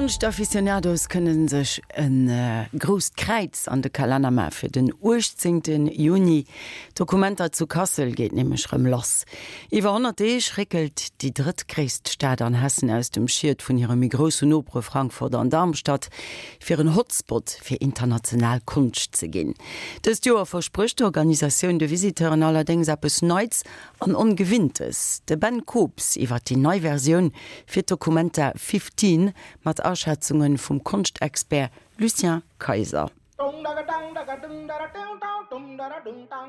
D'Konscht-Aficionados kënne sech e grousst Kräiz an de Kalenner maache fir den 18 Juni. D'Documenta zu Kassel geet nämlech rëm lass. Iwwer 100 Deeg réckelt déi drëttgréisst Stad an Hessen aus dem Schiet vun hire méi groussen Nopere Frankfurt an Darmstadt, fir en Hotspot fir international Konscht ze ginn. Dëst Joer versprécht d'Organisatioun de Visiteuren allerdéngs eppes Neits an Ongewinntes. De Ben Kobs iwwer déi nei Versioun fir d'Documenta 15 mat Aschätzunge vum Konschtexpert Lucien Kayser.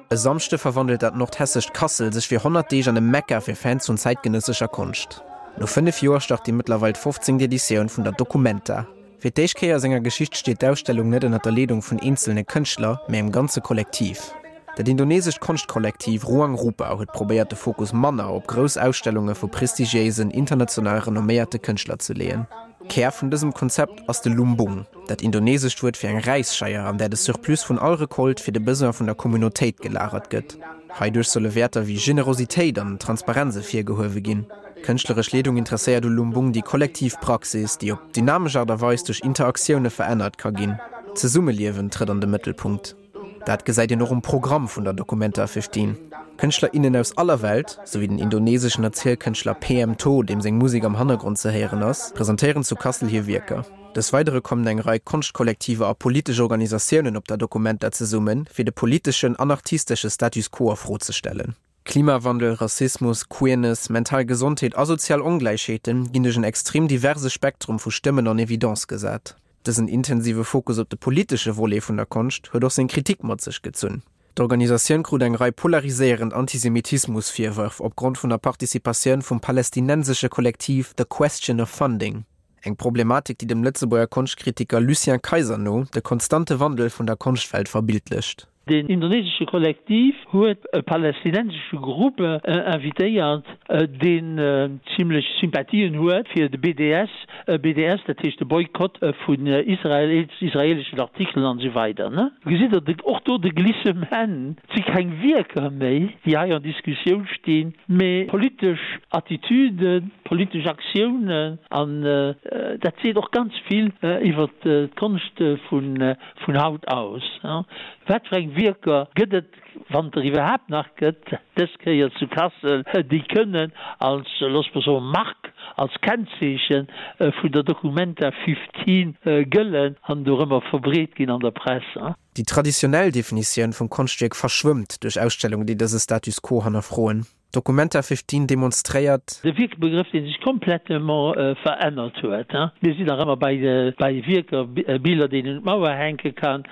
E Samschde verwandelt dat nordhessescht Kassel sech fir 100 Deeg an e Mekka fir Fans vun zäitgenëssescher Konscht. No 5 Joer start déi mëttlerweil 15. Editioun vun der Documenta. Fir d'éischt Kéier a senger Geschicht steet d'Ausstellung net ënner der Leedung vun eenzelne Kënschtler, mä engem ganze Kollektiv. Dat indonesescht Konschtkollektiv Ruang Rupa huet probéiert de Fokus manner op grouss Ausstellunge vu prestigiéisen, international renomméierte Kënschtler ze leeën. Kär vun dësem Konzept ass de Lumbung, dat indonesescht Wuert fir eng Räisscheier, an där de Surplus vun all Recolte fir de Besoin vun der Communautéit gelagert gëtt. Heiduerch solle Wäerter wéi Generositéit an Transparenz ervirgehuewe ginn. D'kënschtleresch Leedung interesséiert u Lumbung déi kollektiv Praxis, déi op dynamesch Aart a Weis duerch Interaktioune verännert ka ginn. D'Zesummeliewen trëtt an de Mëttelpunkt. Dat gesäit een och um Programm vun der Documenta 15. Kënschtler, innen aus aller Welt, sou wéi den indoneseschen Erzielkënschtler PM To, deem seng Musek am Hannergrond ze héieren ass, presentéieren zu Kassel hir Wierker. Des Weidere kommen eng Rei Konschtkollektiver a politesch Organisatiounen op der Documenta zesummen, fir de politeschen an artistesche Status quo a Fro ze stellen. Klimawandel, Rassismus, Queerness, mental Gesondheet a sozial Ongläichheete ginn duerch en extrem diverse Spektrum vu Stëmmen an Evidence gesat. Dësen intensive Fokus op de politesche Volet vun der Konscht huet och seng Kritik mat sech gezunn. D'Organisatioun krut eng Rei polariséierend Antisemitismus-Virwërf opgrond vun der Participatioun vum palestinensesche Kollektiv The Question of Funding. Eng Problematik, déi dem Lëtzebuerger Konschtkritiker Lucien Kayser no de konstante Wandel vun der Konschtwelt verbildlecht. Deen indonesesche Kollektiv huet e palästinensesche Grupp invitéiert, deen zimlech Sympathien huet fir de BDS, BDS, dat heescht de Boykott vun Israel, israeleschen Artikelen an esou weider. Gesitt Der och do de Glissement? Et si keng Wierker méi, déi hei an Diskussioun stinn, mee politesch Attitüden, politesch Aktiounen. An dat seet och ganz vill iwwert d'Konscht vun Vun haut aus, wat fir eng Wierker gëtt et, wann et der iwwerhaapt nach gëtt, dës Kéier zu Kassel, déi kënnen als, looss mer soen, Mark, als Kennzeeche vun der Documenta 15 gëllen an dorëmmer verbreet ginn an der Press? Déi traditionell Definitioun vum Konschtwierk verschwëmmt duerch Ausstellungen, déi dëse Status quo hannerfroen. Documenta 15 demonstréiert. De Wierkbegrëff, dee sech komplettement verännert huet. Mir sinn nach ëmmer bei Wierker, Biller, déi een un d'Mauer hänke kann,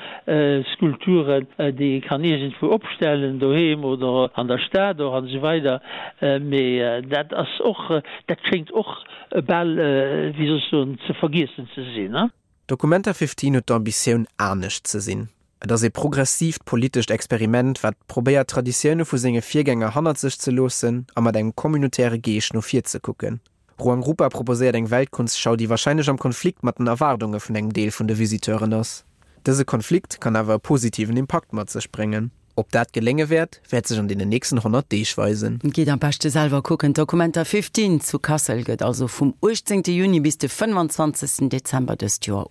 Skulpturen, déi ee kann iergendwou opstellen, doheem oder an der Stad och an esou weider. Mee dat ass och, dat schéngt och bal, wéi soll ech soen, ze vergiessen ze sinn. Documenta 15 huet d'Ambitioun, anescht ze sinn. Et ass ee progressiivt politescht Experiment, wat probéiert d'Traditioune vu senge Virgänger hannert sech ze loossen a mat engem communautaire Geescht no vir ze kucken. Ruangrupa proposéiert eng Weltkunstschau, déi warscheinlech am Konflikt mat den Erwaardunge vun engem Deel vun de Visiteuren ass. Dëse Konflikt kann awer e positiven Impakt mat sech bréngen. Ob dat gelénge wäert, wäert sech an deenen nächsten 100 Deeg weisen. Gitt am beschte selwer kucken. D'Documenta 15 zu Kassel gëtt also vum 18 Juni bis de 25 Dezember dëst Joer ugebueden.